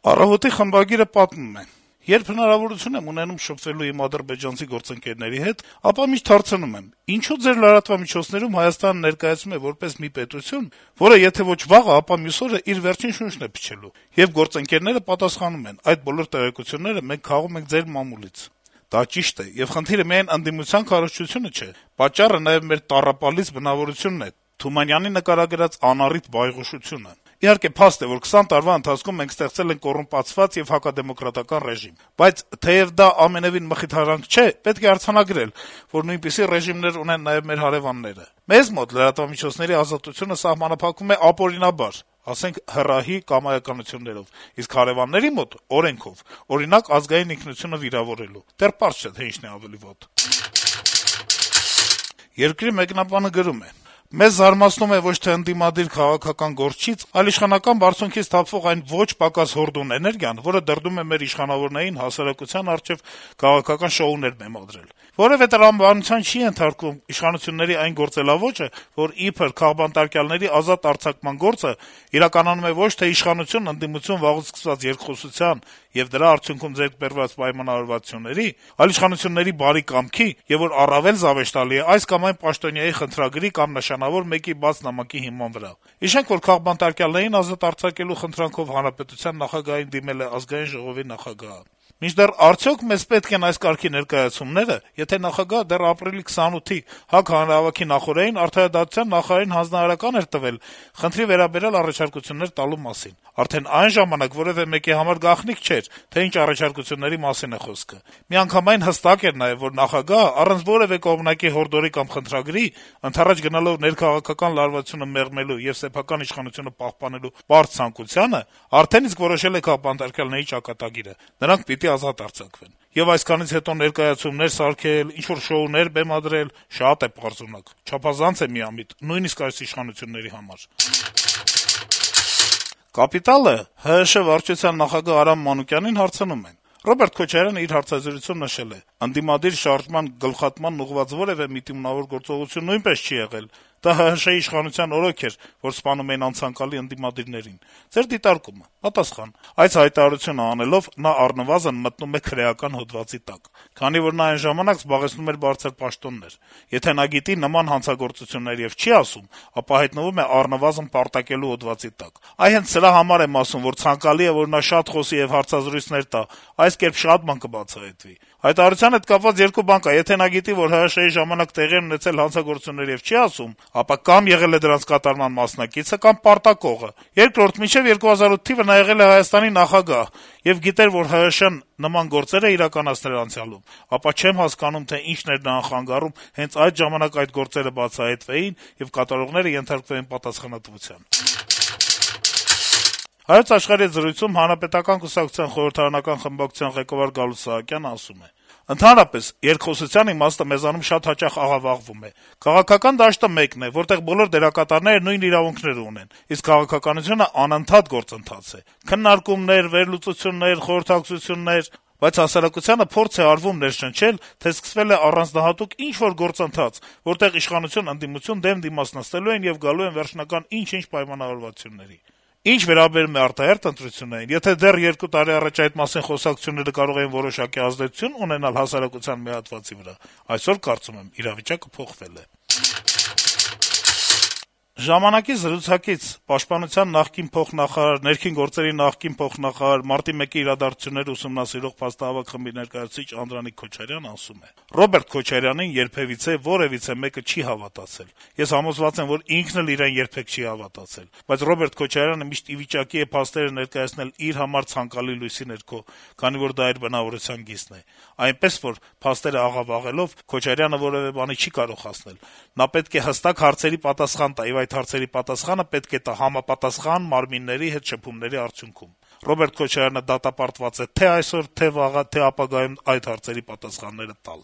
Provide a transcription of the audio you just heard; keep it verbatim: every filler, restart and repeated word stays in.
«Առավոտ»-ի խմբագիրը պատմում է. - «Երբ հնարավորություն եմ ունենում շփվելու իմ ադրբեջանցի գործընկերների հետ, ապա միշտ հարցնում եմ. ինչո՞ւ ձեր լրատվամիջոցներում Հայաստանը ներկայացվում է որպես մի պետություն, որը եթե ոչ վաղը, ապա մյուս օրը իր վերջին շունչն է փչելու, եւ գործընկերները պատասխանում են. այդ բոլոր տեղեկությունները մենք քաղում ենք ձեր մամուլից։ Դա ճիշտ է, եւ խնդիրը միայն ընդդիմության քարոզչությունը չէ, պատճառը նաեւ մեր տառապալից բնավորությունն է, Թումանյանի նկարագրած անառիթ բայղուշությունը։ Իհարկե, փաստ է, որ քսան տարվա ընթացքում մենք ստեղծել ենք կոռումպացված եւ հակադեմոկրատական ռեժիմ, բայց թեեւ դա ամենեւին մխիթարանք չէ, պետք է արձանագրել, որ նույնպիսի ռեժիմներ ունեն նաեւ մեր հարեւանները։ Մեզ մոտ լրատվամիջոցների ազատությունը սահմանափակվում է ապօրինաբար, ասենք հռահի կամայականություններով, իսկ հարեւանների մոտ՝ օրենքով, օրինակ ազգային ինքնությունը վիրավորելու։ Դեռ պարզ չէ, թե ինչն է ավելի վատ»։ «Երկիր» մեկնաբանը գրում է. - «Մեզ զարմացնում է ոչ թե ընդդիմադիր քաղաքական գործչից, այլ իշխանական բարձունքից թափվող այն ոչ պակաս հորդուն էներգիան, որը դրդում է մեր իշխանավորներին հասարակության առջեւ քաղաքական շոուներ բեմադրել։ Որեւէ տրամաբանության չի ենթարկվում իշխանությունների այն գործելաոճը, որ իբր քաղբանտարկյալների ազատ արձակման գործը իրականանում է ոչ թե իշխանություն-ընդդիմություն վաղուց սկսված երկխոսության եւ դրա արդյունքում ձեռք բերված պայմանավորվածությունների, այլ իշխանությունների բարի կամքի, եւ որ առավել զավեշտալի է այս կամ այն պաշտոնյայի խնդրագրի կամ նշանավոր մեկի բաց նամակի հիման վրա։ Հիշենք, որ քաղբանտարկյալներին ազատ արձակելու խնդրանքով հանրապետության նախագահին դիմել է Ազգային ժողովի նախագահը։ Մինչդեռ արդյոք մեզ պետք են այս կարգի ներկայացումները, եթե նախագահը դեռ ապրիլի քսանութի ՀԱԿ հանրահավաքի նախօրեին արդարադատության նախարարին հանձնարարական էր տվել խնդրի վերաբերյալ առաջարկություններ տալու մասին։ Արդեն այն ժամանակ որեւէ մեկի համար գաղտնիք չէր, թե ինչ առաջարկությունների մասին է խոսքը։ Միանգամայն հստակ էր նաեւ, որ նախագահը առանց որեւէ կողմնակի հորդորի կամ խնդրագրի, ընդառաջ գնալով ներքաղաքական լարվածությունը մեղմելու եւ սեփական իշխանությունը պահպանելու պարզ ցանկությանը, արդեն իսկ որոշել է քաղբանտարկյալների ճակատագիրը։ Նրանք պիտի ազատ արձակվեն։ Եվ այսքանից հետո ներկայացումներ սարքել, ինչ-որ շոուներ բեմադրել շատ է պարզունակ, չափազանց է միամիտ, նույնիսկ այս իշխանությունների համար»։ «Կապիտալ»-ը ՀՀՇ վարչության նախագահ Արամ Մանուկյանին հարցնում է. - «Ռոբերտ Քոչարյանը իր հարցազրույցում նշել է. ընդդիմադիր շարժման գլխատմանն ուղղված որեւէ միտումնավոր գործողություն նույնպես չի եղել, դա ՀՀՇ-ի իշխանության օրոք էր, որ սպանում էին անցանկալի ընդդիմադիրներին։ Ձեր դիտարկումը»։ Պատասխան. - «Այս հայտարարությունը անելով նա առնվազն մտնում է քրեական հոդվածի տակ, քանի որ նա այն ժամանակ զբաղեցնում էր բարձր պաշտոններ։ Եթե նա գիտի նման հանցագործություններ եւ չի ասում, ապա հայտնվում է առնվազն պարտակելու հոդվածի տակ։ Այ հենց սրա համար եմ ասում, որ ցանկալի է, որ նա շատ խոսի եւ հարցազրույցներ տա, այս կերպ շատ բան կբացահայտվի։ Հայտարարության հետ կապված երկու բան կա. եթե նա գիտի, որ ՀՀՇ-ի ժամանակ տեղի են ունեցել հանցագործություններ եւ չի ասում, ապա կամ եղել է դրանց կատարման մասնակիցը, կամ պարտակողը։ Երկրորդ, մինչեւ երկու հազար ութ թիվը նա եղել է Հայաստանի նախագահ եւ գիտեր, որ ՀՀՇ-ն նման գործեր է իրականացնել անցյալում, ապա չեմ հասկանում, թե ինչն էր նրան խանգարում հենց այդ ժամանակ այդ գործերը բացահայտվեին եւ կատարողները ենթարկվեին պատասխանատվության»։ «Հայոց Աշխարհ»-ի հետ զրույցում Հանրապետական կուսակցության խորհրդարանական խմբակցության ղեկավար Գալուստ Սահակյանը ասում է. - «Ընդհանրապես, երկխոսության իմաստը մեզանում շատ հաճախ աղավաղվում է։ Քաղաքական դաշտը մեկն է, որտեղ բոլոր դերակատարները նույն իրավունքները ունեն, իսկ քաղաքականությունը անընդհատ գործընթաց է. քննարկումներ, վերլուծություններ, խորհրդակցություններ, բայց հասարակությանը փորձ է արվում ներշնչել, թե սկսվել է առանձնահատուկ ինչ-որ գործընթաց, որտեղ իշխանություն-ընդդիմություն դեմ դիմաց նստելու են եւ գալու են վերջնական ինչ-ինչ պայմանավորվածությունների։ Ինչ վերաբերում է արտահերթ ընտրություններին, եթե դեռ երկու տարի առաջ այդ մասին խոսակցությունները կարող էին որոշակի ազդեցություն ունենալ հասարակության մի հատվածի վրա, այսօր, կարծում եմ, իրավիճակը փոխվել է»։ «Ժամանակ»-ի զրուցակից Պաշտպանության նախկին փոխնախարար, ներքին գործերի նախկին փոխնախարար, մարտի մեկի իրադարձությունները ուսումնասիրող փաստահավաք խմբի ներկայացուցիչ Անդրանիկ Քոչարյանն ասում է. - «Ռոբերտ Քոչարյանին երբեւիցե որեւիցե մեկը չի հավատացել։ Ես համոզված եմ, որ ինքն էլ իրեն երբեք չի հավատացել։ Բայց Ռոբերտ Քոչարյանը միշտ ի վիճակի է փաստերը ներկայացնել իր համար ցանկալի լույսի ներքո, քանի որ դա իր բնավորության գիծն է։ Այնպես որ, փաստերը աղավաղելով, Քոչարյանը որեւէ բանի չի կարող հասնել։ Նա պետք է հստակ հարցերի պատասխան տա, եւ այդ հարցերի պատասխանը պետք է տա համապատասխան մարմինների հետ շփումների արդյունքում։ Ռոբերտ Քոչարյանը դատապարտված է թե այսօր, թե վաղը, թե ապագայում այդ հարցերի պատասխանները տալ»։